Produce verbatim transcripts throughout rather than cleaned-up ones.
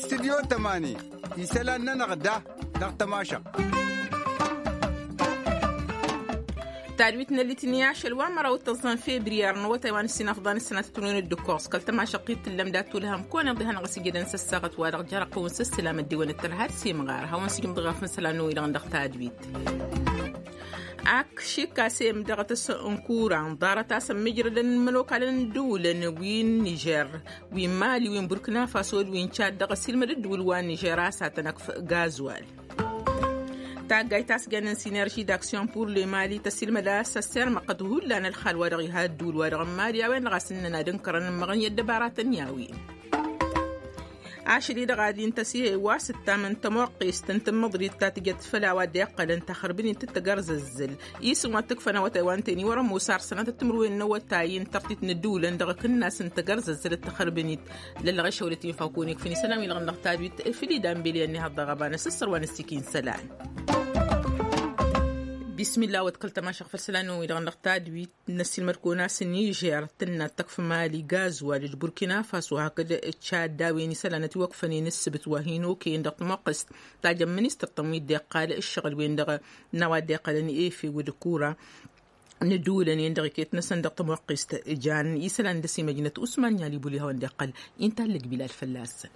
Studyo tămani isălan-nănăɣ da dăɣ-tămašăɣt. Tadwit n-ăllit n-i ašăl wa măraw d-tăẓẓan febriyar n-awătay wa n-ǝssin afḍan ǝssănatăt n-win dd-ǝkkoẓ kăl-tămašăɣt-i t-tǝllăm dat-tulhăm kăwăn-iḍihănăɣ s-ijădăn s-ăssaɣăt wa dăɣ-jărăqqăwăn s-ǝssǝlam ăddiwăn d-tărha d-simɣar hawăn-sǝjǝm dăɣ-afǝn isălan n-wi-dăɣ dăɣ-tadwit. Ak šikka s-e-m dăɣ-tăs n-kura ǝnḍarăt a-s ămmijrădăn imănokalăn n-ǝddǝwǝlăn wi n-nižer wi n-mali wi n-burkina faso d-wi n-čad dăɣ-ăsilmăd ǝddǝwǝl wa n-nižer a-s ad-tăn-ăkf gazwal. Taggayt ta s-jannen sinerži d-aksyon pur le mali tăsilmăd a-s ăssirmăɣ-t hullan ălxal wa dăɣ-iha ăddǝwǝl wa dăɣ-n mali a-wen-dăɣ a-s ǝnnăn ad-ǝnkărăn ǝmmăɣăn i-ăddăbaratăn i-a-wen. Ašăl-i-dăɣ ad-intăs iha iwasǝttam n-tămoqqest n-tǝmmǝḍrit ta tǝjăt făll-a-wa dd-iqqălăn taxărbǝnit d-tagărzăzzǝl isǝm wa t-ǝkfăn awătay wa n-teni wăr-ămoos ar sănatăt timǝrwen n-awătay n-tărtit n-ǝddǝwǝlăn dăɣ-akǝnnas n-tagărzăzzăl d-taxărbǝnit. Lăllăɣ išăwlăt-in fawkăwăn ikfǝn isălan-wi-dăɣ n-dăɣ tadwit făll-idan beleăn ihăḍ dăɣ-ăbanăs ǝssăr wa n-ăssikin isălan. Bismillah wăt kăl-tămašăɣ făll-isălan-wi-dăɣ n-dăɣ tadwit. N-ăssiilmăd-kăwăn a-s nižer tǝnna tăkf mali gazwal d-burkina faso hakd tšad d-a-wen isălan ătiwăkfănen ǝssǝbǝt wa hin-okăyăn dăɣ-tămoqqǝst. Tajăn ministăr-tăn wi dd-iqqal ǝššăɣǝl-wen-dăɣ n-a-wa dd-iqqălăn efew d-kura n-ǝddǝwǝlăn-en-dăɣ iket-năsăn dăɣ-tămoqqǝst jan isălan dăr-s imăjnăt usman n-i-alibuli hawăn-dd-iqqăl. Inta ăllăg bilal fălla-săn.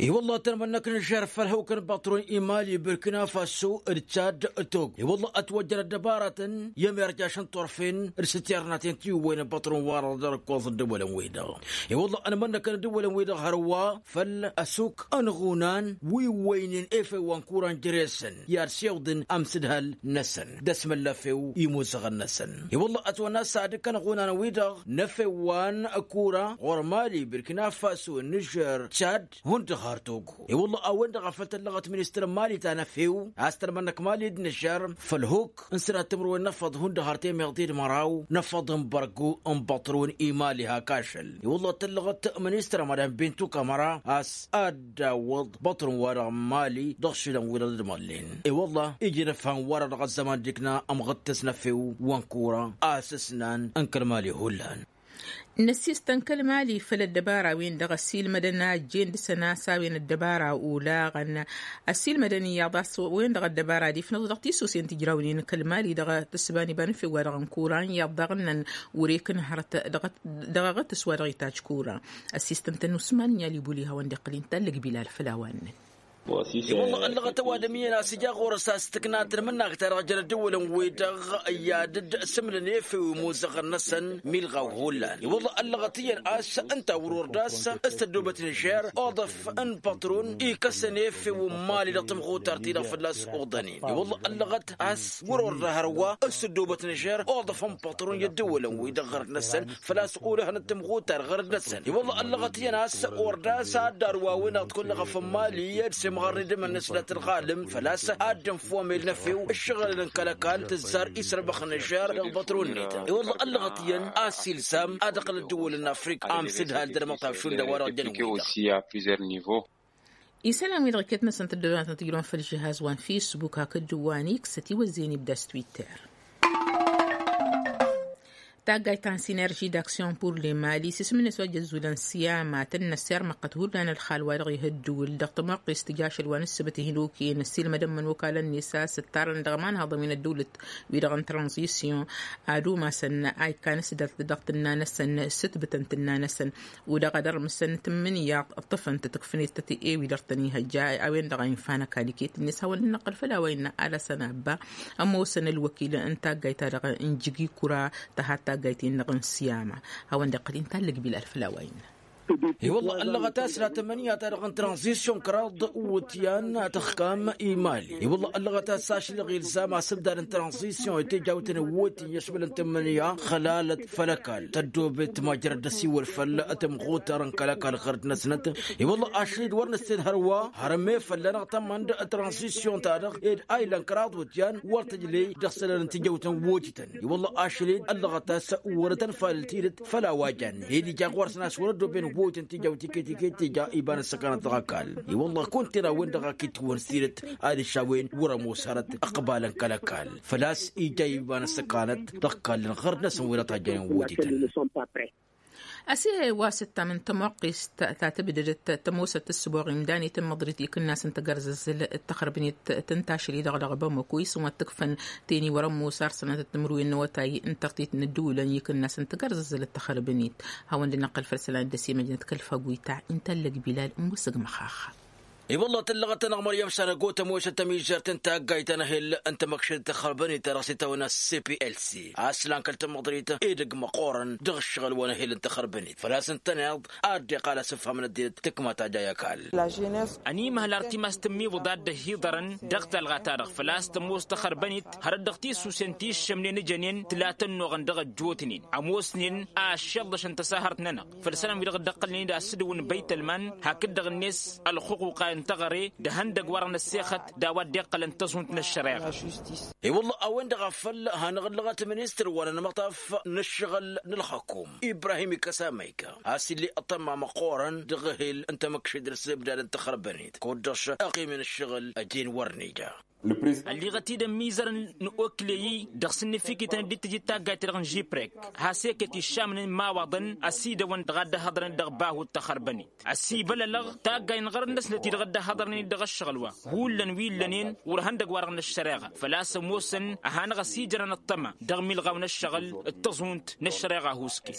I-wălla tăn-mănnăk n-žer făll-hawk n-băṭrun imali burkina faso d-tšad tog i-wălla ătwăjjăn ăddăbaratăn i-ămirjaš n-turfen d-sǝtternaten tiwwăyăn băṭrun wa dăɣ-dăr-ǝkkoẓ ăddăwălăn-wi-dăɣ. I-wălla ănmănnăkăn ăddăwălăn-wi-dăɣ hărwa făll-ăsuk ănɣunan wi wăynen efew wa n-kuran jere-săn i-ad-siwḍǝn amsǝdhal-năsăn d-ăsmăllăfew imuzăɣăn-năsăn. I-wălla ătwănna s-ad-ǝkk ănɣunan-wi-dăɣ n-efew wa n-kura ɣur-mali burkina faso n-nižer tšad hundăɣ har togo. I-wălla a-wen-dăɣ a făl tăllăɣăt ministăr n-mali ta n-efew a-s tălmănnăk mali d-nǝžžar făll-huk n-sănat timǝrwen n-efăḍ hundăɣ har temeḍe d-măraw n-efăḍ n-bărgu n-băṭrun imali hak ašăl. I-wălla tăllăɣăt ministăr madam bintu kamăra a-s ad-dd-awǝḍ băṭrun-wa-dăɣ n-mali dăɣ-išǝlăn-wi-dăɣ d-măllen. I-wălla ija inǝfhan wa-dăɣ dăɣ-ăzzăman d-ikna ămɣǝttǝs n-efew wa n-kura a-s ǝsnan n-kăl-mali hullan. N-ăssiistăn kăl-mali făll-ăddăbara-wen-dăɣ ăssiilmădăn a ăjjeen dăɣ-săn a-s a-wen ăddăbara olaɣăn ăssiilmădăn iyyăḍ a-s wen-dăɣ ăddăbara ad-ifnăẓ dăɣ-tisusen tǝjrawnen kăl-mali dăɣ-tǝssǝba n-iba n-efew wa dăɣ-n kura iyyăḍ daɣ ǝnnăn wăr-e-kǝnhărăt dăɣ-aɣǝtǝs wa dăɣ-itajj kura. Ăssiistăn-tăn usman n-i-alibuli hawăn-dd-iqqăl inta ăllăg bilal făll-a-wa ǝnnăn. I-wălla ăllăɣăt ăwadǝm iyyăn a-s ija ɣur-s a-s tǝkna tǝnmǝnnak-ta-dăɣ jăn ăddăwălăn-wi-dăɣ i-ad-dd-sǝmlăn efew imuzăɣăn-năsăn milɣaw hullan. I-wălla ăllăɣăt iyyăn a-s ǝnta wăr-ordas s-tăddobăt nižer oḍăf n-păṭrun ikăsăn efew n-mali dăɣ-tamɣutar-ti-dăɣ fălla-s oḍănen. I-wălla ăllăɣăt a-s wăr-orda hărwa s-tăddobăt nižer oḍăf n-păṭrun i-ăddăwălăn-wi-dăɣ ɣărăt-năsăn făl-a-s olăhăn d-tamɣutar ɣărăt-năsăn. I-wălla ăllăɣăt iyyăn a-s ordas ad-dd-arwawăn ad-t-kullăɣăf n-mali d-semɣarnen d-emănnes dat-ălɣalăm făl-a-s ad-dd-ănfomel n-efew ǝššăɣǝlăn n-kăl-ăkall tǝzzar isrăbăx n-ažžar dăɣ-bătrun-net. I-wălla ăllăɣăt iyyăn a-s ilzam ad-ăqqǝl ăddăwălăn n-afrika amsǝdhal d-ălmăṭṭaf šund a-wa-dăɣ jăn-wi-dăɣ. Isălan-wi-dăɣ iket-năsăn tăddobănatăn tǝjrăwăn făll-žihaz wa n-fisbuk hakd wa n-iksăt iwăzzeyăn ibda s-twitter. Taggayt ta n-sinerži d-aksyon pur le mali s-isǝm-net wa jăzzulăn siyama tǝnnăs irmăqqăt hullan ălxal wa dăɣ-ih ăddǝwǝl dăɣ-tămoqqest tǝj ašăl wa n-ǝssǝbăt ihin okăyăn ăssiilmădăn imănokalăn-net a-s ǝttarăn dăɣ-imanhaḍăn wi n-ăddăwlăt wi-dăɣ n-tranzisyon ad-umasăn a ikkan s-dăɣ-tǝnnăn s-ǝtbǝtăn tǝnna-năsăn. Udăɣ ad-ărmǝsăn tǝmmǝnǝya ǝṭṭǝfăn-t tǝkfǝnet tăt-e-wi dăr-tăn-ihăjja a-wen-dăɣ a infa n-ăkall iket-net hawăn-dd-năqqăl făll-a-wa innă alăsăn abba ămoosăn ălwăkil n-taggayt-ta-dăɣ n-jigi kura tăha taggayt-in-dăɣ n-siyama. Hawăn-dd-iqqăl inta ăllăg bilal făll-a-wa innă. I-wălla ăllăɣăt a-s la tămmănǝya-ta-dăɣ n-tranzisyon kăraḍ iwǝtyan tăxkam i-mali. I-wălla ăllăɣăt a-s ašlăɣ ilzam asǝbdad n-tranzisyon i-tejawt n-iwǝtyan i-ăšmălăn tămmănǝya xălalăt făll-ăkall tăddobet măjrăd d-ăsiwăl făll-tămɣutar n-kăl-ăkall ɣărăt-năsnăt. I-wălla ašăl-dd wăr nǝssen hărwa hărămme fălla-năɣ tămmăn d-tranzisyon-ta-dăɣ ed a ilăn kăraḍ iwǝtyan wăr tǝjley dăɣ-isălan n-tijăwt n-iwǝtităn. I-wălla ašăl-dd ăllăɣăt a-s wăr-tăn falăl tidǝt făll-a-wa jannen ed ija ɣur-săn a-s wăr-ăddoben. Wăytăn tija wăt iket iket tija iba n-ăssăkanăt dăɣ-ăkall. I-wălla kunta era-wen-dăɣ a kitwăn s-tidǝt ad-ǝššawen wăr-ămoos hărăt ăqbalăn kăl-ăkall. Făl-a-s ija iba n-ăssăkanăt dăɣ-ăkall n-ɣărd-năsăn wi dăɣ-tajjănen wăytăn. Ăse wa s-ǝttam n-tămoqqest ta tǝbdădăt tămoosăt ǝssǝboɣ imdan i-tǝmmăḍrit ikǝnnas n-tagărzăzzǝl d-taxărbǝnet tǝnta ašăl-i-dăɣ dăɣ-bamăko isǝm wa t-ǝkfăn teni wăr-ămoos arsănăt d-timǝrwen n-awătay n-tărtit n-ǝddǝwǝlăn ikǝnnas n-tagărzăzzǝl d-taxărbǝnet. Hawăn-dd-năqqăl făll-isălan d-ăsimăjnăt kăl-faguyta inta ăllăg bilal n-musǝg măxaxa. I-wălla tǝllăɣăt-anăɣ măryăm šarăgo tămoosăt tămižžert n-taggayt ta n-ehel n-tamăkšăd tăxărbănit ta dăɣ-s itawăn s-p l c a-s lan kăl-tamăḍrit edăgg măqqoorăn dăɣ-ǝššăɣǝl wa n-ehel n-tăxărbănit făl-a-s ǝntăneḍ ad-dd-iqqal asǝfham n-ăddinăt tǝkma tajay ăkall. Ănimăhăl ar timas tǝmmiwǝḍ ad-dd-ăhiḍărăn dăɣ-talɣa-ta-dăɣ făl-a-s tămoos tăxărbănit hărăt dăɣ-tisusen ti ǝššămnen ǝjănen tǝla tănnuɣăn dăɣ-ăjjootnen ămoosnen a ăššălḍăšăn tăsahărt-nănăɣ. Făll-isălan wi dăɣ-dd-ăqqălnen-dd asǝdǝw n-băytălman hakd-dăɣ-net ălxuquqa n-teɣăre d-ehăndăgg-wa-dăɣ n-ăssexăt d-a-wa dd-iqqălăn tăẓhunt n-ăššăreɣa. I-wălla a-wen-dăɣ a făl hanăɣ-ǝllăɣăt ministăr wa n-anmăṭaf n-ǝššăɣǝl n-ălxăkum ibrahim ikăsa măyka a-s ill'-e ăṭṭăma măqqoorăn dăɣ-ehel n-tamăkšăd d-ăssebdad n-taxărbănit kud-dăɣ-s ăɣim n-ǝššăɣǝl ăjeen wăr nǝja. Ălliɣăt-dd ămmizăr n-okleyi dăɣ-s ǝnnǝfikităn dd-tǝjǝd taggayt-ta-dăɣ n-žipprek has-ekek iššamnen imawaḍăn ăsidăwăn dăɣ-ad-dd-ăhhăḍrăn-dd dăɣ-bahut tăxărbănit. Ăsibălălăɣ taggay n-ɣărăt-năsnăt-i-dăɣ dd-ăhhăḍrăn-dd dăɣ-ăššăɣǝl wa hullan wi ǝllănen wăr ihăndăg-wa-dăɣ n-ăššăreɣa făl-a-s ămoosăn ad-hanăɣ-ăsijărăn ăṭṭăma dăɣ-imilɣaw n-ăššăɣǝl d-tăẓhunt n-ăššăreɣa huske.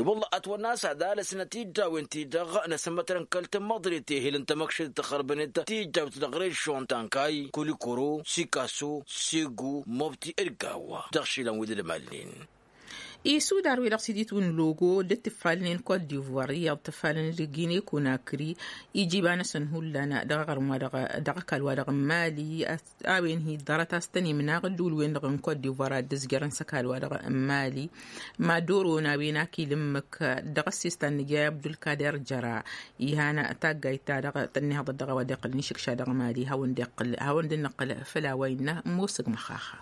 I-wălla ătwănna a-s ad-alăsnăt iddawen-ti-dăɣ n-asǝmmătrăn kăl-tămmăḍrit ehel n-tamăkšăd d-taxărbănet tijjawt dăɣ-režžon tankay kulikoro sikaso segu mobti d-gawa dăɣ-išilan wi d-ălmalnen. Isudar wi-dăɣ s-iditwǝn logo d-ǝtǝffalnen kot divoir iyyăḍ tǝffalăn d-gine konakri ija iba-năsăn hullan dăɣ-aɣrǝm wa dăɣ-ăkall wa dăɣ-mali. A-wen hi-ḍarăt a-s tăn-imnaɣ ǝddǝwǝl-wen-dăɣ n-kot divoir ad-dd-ǝzjărăn s-ăkall wa dăɣ-mali. Mad-oron a-wen ak ila ǝmmǝk dăɣ-ăssiistan n-ija i-abdulkader jăra. Ihan taggayt-ta-dăɣ tănnihăḍăt dăɣ-a-wa dd-iqqălăn išǝkša dăɣ-mali hawăn-dd-iqqăl hawăn-dd-nǝqqăl făll-a-wa innă ămoosăg măxaxa.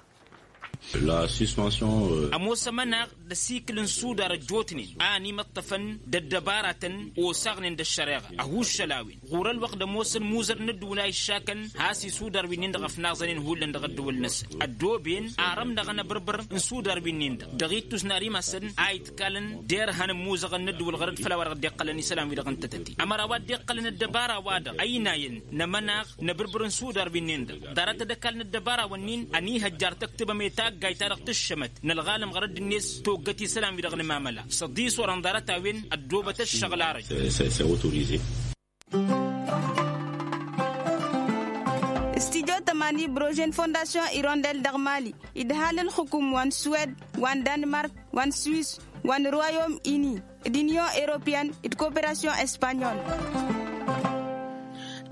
Ămoos ămănaɣ d-ăsikǝl n-sudar ăjjootnen a ănimăṭṭăfăn d-ăddăbaratăn osaɣnen d-ăššăreɣa ăhuššăl a-wen ɣur-ălwăqq d-ămoosăn imuzăr n-ăddǝwǝl a iššakăn has-isudar wi-nin-dăɣ ăfnaẓănen hullan dăɣ-ăddǝwǝl-năsăn ăddooben arămnăɣăn abărbăr n-sudar wi-nin-dăɣ dăɣ-ittus n-ar imasăn a itkalăn d-erhan n-imuzăɣăn n-ăddǝwǝl ɣărăt făll-a-wa-dăɣ dd-iqqălăn isălan-wi-dăɣ n-tătăte ămăra wa dd-iqqălăn ăddăbara-wa-dăɣ ăynayăn n-amănaɣ n-abǝrbǝr n-sudar wi-nin-dăɣ ḍarăt ad-ăkall n-ăddăbara-wǝnnin ănihăjjar tăktǝbăm i-taggayt-ta-dăɣ tǝššămăt n-ălɣalăm ɣărăt-net toggăt isălan-wi-dăɣ n-mamăla s-ăḍisor ănḍarăt a-wen ăddoobăt ăššăɣǝl arăj. S-tijo tămani brožen fondasyon irondel dăɣ-mali idhal ǝlxǝkum wa n-suwed wa n-danmark wa n-swis wa n-royom ini d-inyon europeyăn d-koperasyon espanyol.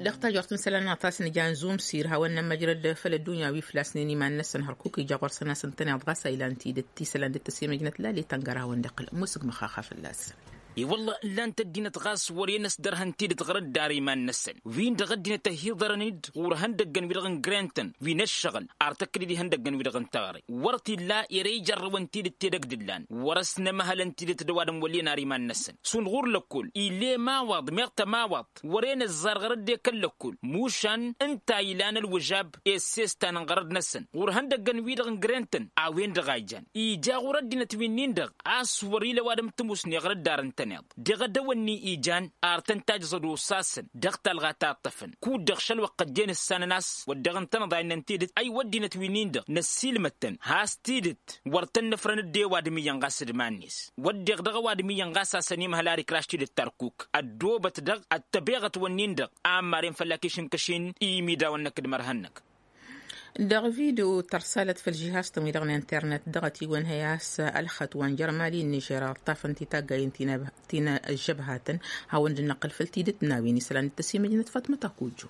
Dăɣ-tajort n-isălan n-atas n-jan zumsir hawăn-nămmăjrăd făll-ăddunya wi flasnen iman-năsăn hărkuk ija ɣur-săn a-s ǝntăneḍ ɣas a ilan tidǝt isălan dd-tăsemăjnăt lali tăngăr hawăn-dd-iqqǝl musǝg măxaxa fălla-săn. I-wălla ǝllan-t ăddinăt ɣas wăr-e n-ăsdărhăn tidǝt ɣur-ăddar iman-năsăn win-dăɣ ăddinăt ăhiḍărăn-dd ɣur-ihăndăggăn-wi-dăɣ n-grentăn wi n-ăššăɣǝl ar tăkk-dd ihăndăggăn-wi-dăɣ n-teɣăre wăr t-illa ere ijărrăwăn tidǝt edăgg d-ǝllan wăr-ăsnămăhălăn tidǝt d-ăwadǝm wăl' inar iman-năsăn šund ɣur-lăkkol ill'-e ămawaḍ meɣ tămawaḍt wăr-e n-ăzzar ɣărăt d-ekăl lăkkol mušan ǝnta ilan ălwǝžab i-ăssestan n-ɣărăt-năsăn ɣur-ihăndăggăn-wi-dăɣ n-grentăn a-wen-dăɣ a ijan ija ɣur-ăddinăt wi-nin-dăɣ a-s wăr-ila ăwadǝm tǝmusne ɣărăt d-ar ǝntăneḍ deɣ-ădăwănni ijan ar tăn-tajăẓăd osasăn dăɣ-talɣa ta ǝṭṭăfăn kud-dăɣ šăl wăqq ăjjeen ǝssanăn a-s wăr dăɣ-ǝntănăḍ a innăn tidǝt ay wăddinăt wi-nin-dăɣ năssiilmăd-tăn has-tidǝt wăr tăn-nǝfrăn dd-e-ăwadǝm iyyăn ɣas d-iman-net wădden dăɣ-ăwadǝm iyyăn ɣas a-s ănimăhăl ar ikraš tidǝt tarkuk ăddoobăt dăɣ-ăttăbeɣăt-wǝnnin-dăɣ a ămmaren făll-ak išǝnkăšin i-imidawăn-năk d-imărhăn-năk. Dăɣ-video tărsalăt făll-žihaz-tăn-wi-dăɣ n-internet dăɣ-ătiwăn hăy a-s ălxăt wa n-jărmali n-nižer ăṭṭafăn-t i-taggayen ti n-ăžžăbhatăn hawăn-dd-năqqǝl făll-tidǝt n-a-wen isălan d-tăsimăjnăt fatmăt akujju.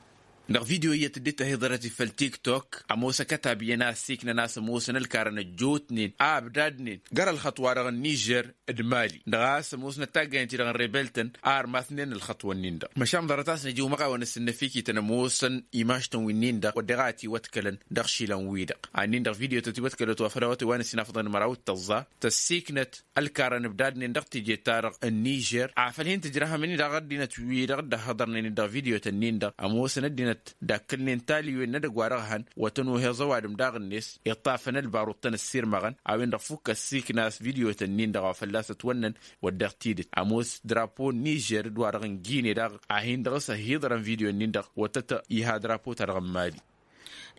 Dăɣ-video iyyăt dd-tăhiḍărăt făll-tiktok ămoos ăkătab iyyăn a ăssiiknăn a-s ămoosăn ălkarăn ăjjootnen a ăbdadnen găr-ălxăṭṭ-wa-dăɣ n-nižer d-mali dăɣ-a-s ămoosnăt taggayăn-ti-dăɣ n-rebel-tăn a ărmatnen ălxăṭṭ-wăn-nin-dăɣ. Măšan ḍarăt a-s năj iwmăɣawăn ăsǝnnăfikităn ămoosăn imaštăn wi-nin-dăɣ wădden a ătiwăḍkălăn dăɣ-išilan-wi-dăɣ a-nin-dăɣ video-tăt iwăḍkălăt wa făl awătay wa n-ăsinafăḍăn măraw d-tăẓẓa tăssiiknăt ălkarăn ǝbdadnen dăɣ-teje-ta-dăɣ n-nižer afăl hin-tǝjrăhăm-in-dăɣ ăddinăt-wi-dăɣ dd-ăhhăḍărnen-in dăɣ-video-tăn-in-dăɣ ămoosăn ăddinăt dakkălnen taliwen n-edăgg wa dăɣ-hăn wa tăn-oheẓ ăwadǝm daɣ-net iṭṭafăn ălbaruḍ-tăn ăssirmăɣăn a-wen-dăɣ fukk ăssiikna a-s video-tăn-in-dăɣ wa fălla-s ătwănnăn. Wădden tidǝt ămoos drapo n-nižer d-wa-dăɣ n-gine daɣ a hin-dăɣ s-ăhhiḍărăn video-nin-dăɣ wa tăt-iha drapo-ta-dăɣ n-mali.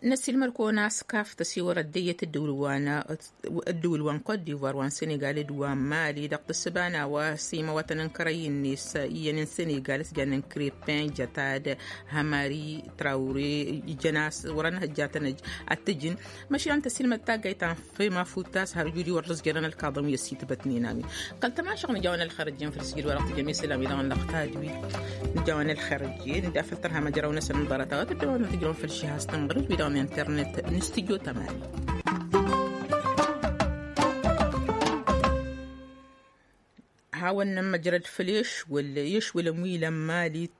Năsiilmăd-kăwăn a-s kaf tăsiwărăt d-eyyăt ǝddǝwǝl-wa n-kot divoir wa n-senegal d-wa n-mali dăɣ-tǝssǝba n-a-wa s-imawatăn n-kărăy-net iyyăn n-senegal s-jannen krepin jătad hămari trawre. Ijăn a-s wăr-ănhăjjatăn ăj ad-t-ǝjǝn. Măšan tăsiilmăd taggayt ta n-fema futas har ǝjud-i wăr dd-ăzjărăn ălkaḍăn wi ăssitbătnen a-wen. Kăl-tamašăɣ nǝja-wen ălxer ǝjjǝn făll-sijil wa dăɣ-tǝjăm isălan wi-dăɣ n-lăxtad wi. Nǝja-wen ălxer ǝjjǝn dd-afăl tărha măjraw-năsăn n-ḍarăt-a-wa tǝddăwăn tǝjrăwăn făll-šihas tănɣărǝt wi-dăɣ n-internet n-studyo tămani. Hawăn-nămmăjrăd făll-ešwăl ešwălăn wi ilăn mali.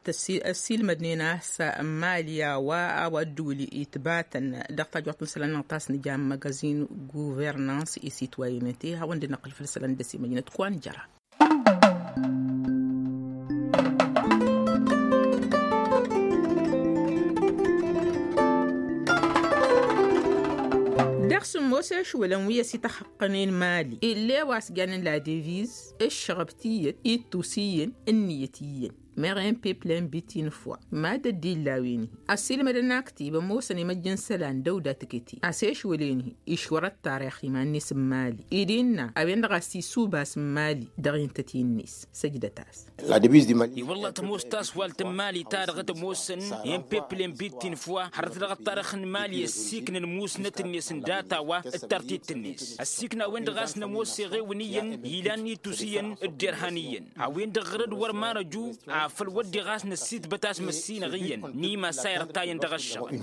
Ăssiilmădnen a-s n-mali a-wa a-wa ădduul itbatăn dăɣ-tajwaḍt n-isălan-năɣ ta s-nǝja n-măgăzin guvernans isitwayinăte hawăn-dd-năqqǝl făll-isălan d-ăsimăjnăt kăwăn jăra. Dăɣ-sǝmmos ešwălăn wi ăsităxăqqănen mali ill'-e wa s-jannen la deviz ǝššăɣăb tiyyăt ittus iyyăn ǝnniyăt iyyăn. Meɣ en peplen bitin fwa mad-ăddin lawen-hi ăssiilmădăn aktib ămoosăn imăjj n-isălan dăw-dat kăti a-s ešwălen-hi išwăr ăttarix iman-net n-mali. Id innă a-wen-dăɣ a-s isubas n-mali dăɣ-intăt-in-net. Săjdăt-as. I-wălla tămoos taswalt n-mali ta dăɣ-tămoosăn i-n peplen bittin fwa hărăt dăɣ-ăttarix n-mali ăssiiknăn musnăt-net n-data-wa d-tartit-net. Ăssiikna a-wen-dăɣ a-s nămoos eɣewăn iyyăn ilan itus iyyăn d-derhan iyyăn a-wen-dăɣ ɣărăd wăr ma năju afăl wădden ɣas năssitbăt a-s măssinăɣ iyyăn n-imassa irtayăn dăɣ-ăššăɣǝl.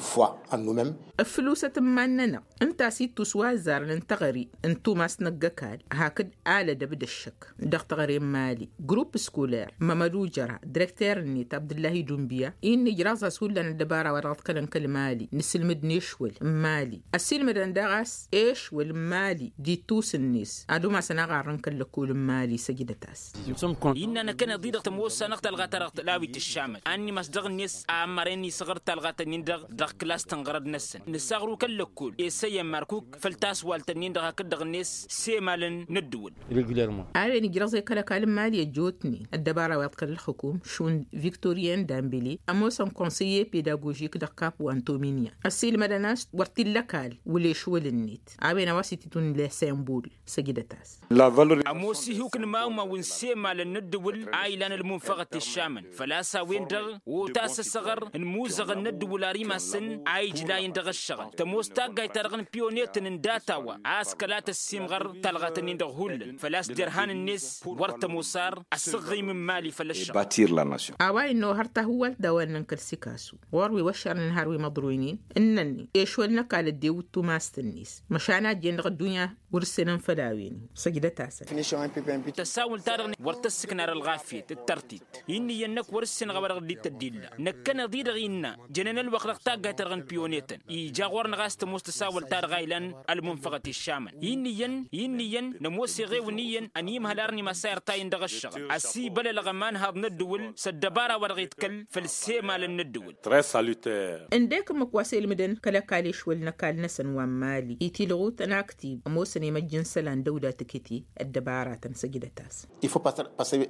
Ǝflusăt n-iman-nănăɣ ǝnta a-s ittus wa ăzzarăn n-teɣăre n-tumast n-ăgg-ăkall hakd alădăb d-ăššăk dăɣ-teɣăre n-mali grupp skuler mămădujăra direkter-net abdǝllahi dunbiya. Innă ijraẓ-as hullan ăddăbara wa dăɣ-t kălăn kăl-mali n-asǝlmǝd n-ešwăl n-mali ăssiilmădăn daɣ a-s ešwăl n-mali d-ittus-net ad-umasăn aɣarrăn kăl-lăkkol n-mali săjdăt-as. Innă năkkăneḍ-i-dăɣ tămoos-anăɣ talɣa-ta-dăɣ tălawit ǝššamăn a ănnimas dăɣ-net a ămmărăn isăɣăr talɣa-tăn-in-dăɣ dăɣ-klas tănɣărăd-năsăn nǝsaɣru kăl-lăkkol esăyăn markuk făll-taswalt-ǝnnin-dăɣ hakd-dăɣ-net semalăn n-ǝddǝwǝl. A-wen ijrăẓ i-kăl-ăkall n-mali ăjjootnen ăddăbara wa iḍkăl ǝlxǝkum šund viktoryen dambele ămoosăn konseye pedagožik dăɣ-kap wa n-tominya ăssiilmădăn a-s wăr t-illa ăkall wăla ešwăl-net. A-wen a-wa s-ititun lesembul săjdăt-as. Ămoos ihuk n-imawmaw n-semalăn n-ǝddǝwǝl a ilan ălmunfăɣăt iššamăn făl-a-s a-wen-dăɣ otasăsăɣăr n-imuzăɣăn n-ǝddǝwǝl ar imasăn a ijlayăn dăɣ-ǝššăɣǝl tămoos taggayt-ta-dăɣ n-piyonetăn n-data-wa a-s kăla tăssimɣăr talɣat-ǝnnin-dăɣ hullan făl-a-s derhan-net wăr tămoos ar ăsǝɣɣim n-imali făll-ǝššăɣǝl. A-wa innă ohăr tahǝwwalt d-a-wa ǝnnăn kăl-sikasu ɣur-wi wăššărnen har wi măḍroynen ǝnnăn-i ešwăl n-ăkall ăddewǝt tumast-net măšan a ăjjeen dăɣ-ăddunya wăr-ǝssenăn făll-a-wen-i. Săjdăt-asăn. Tăsawǝl-ta-dăɣ wăr tăssǝknar ălɣafyăt d-tărtit. Innă iyyăn năkk wăr-ǝssenăɣ a-wa dăɣ-dd-tăddilla năkkăneḍ-i-dăɣ innă jănen ălwăqq dăɣ-taggayt-ta-dăɣ n-piyonetăn ija ɣur-năɣ a-s tămoos tăsawălt-ta-dăɣ a ilan ălmunfăɣăt iššamăn. Innă iyyăn innă iyyăn nămoos eɣewăn iyyăn ănimhăl ar n-imassay ărtayăn dăɣ-ǝššăɣǝl ăsibălălăɣ ămanhaḍ n-ăddǝwǝl s-ăddăbara wa dăɣ-iḍkăl făll-semalăn n-ăddǝwǝl. Ǝndek ǝmmǝk wa s-elmǝdăn kăl-ăkall ešwăl n-ăkall-năsăn wa n-mali itilɣut ănaktib ămoosăn imăjj n-isălan dăw-dat kăti ăddăbaratăn săjdăt-as.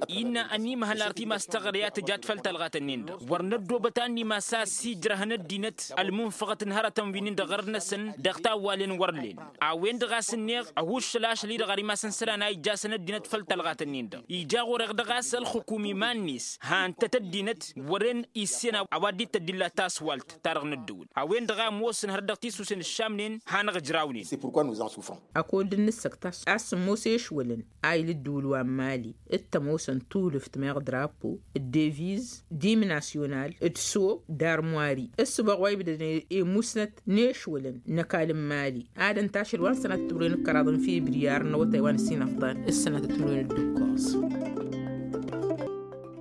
Innă ănimhăl ar timast taɣre a tǝjat făll-talɣat-ǝnnin-dăɣ wăr năddoobăt a n-imas a ăsijrăhăn ăddinăt ălmunfăɣăt n-hărătăn wi-nin-dăɣ ɣărăt-năsăn dăɣ-tawwalen wăr len. A-wen-dăɣ a-s ǝnneɣ ăhuššăl ašăl-i-dăɣ ar imasăn isălan a ijjasăn ăddinăt făll-talɣat-ǝnnin-dăɣ ija ɣur-eɣ dăɣ-a-s ălxǝkum iman-net han-tăt ăddinăt wăren issen a-wa dd-tăddilla taswalt-ta-dăɣ n-ăddǝwǝl a-wen-dăɣ a ămoosăn hărăt dăɣ-tisusen ǝššamnen hanăɣ-ǝjrawnen. Ăkodd n-nǝssăkt a-s ămoos ešwălăn a il' ǝddǝwǝl wa n-mali d-tămoosăn tulǝft meɣ drapo deviz dim nasyonal d-so d-armwari. Ǝssǝbaɣ wa ibdădăn i-musnăt n-ešwălăn n-ăkall n-mali. Ad-ăntašăl wa n-sănatăt timǝrwen d-kăraḍ n-fibriyar n-awătay wa n-ǝssin ăfḍan s-sănatăt timǝrwen d-ǝkkoẓ.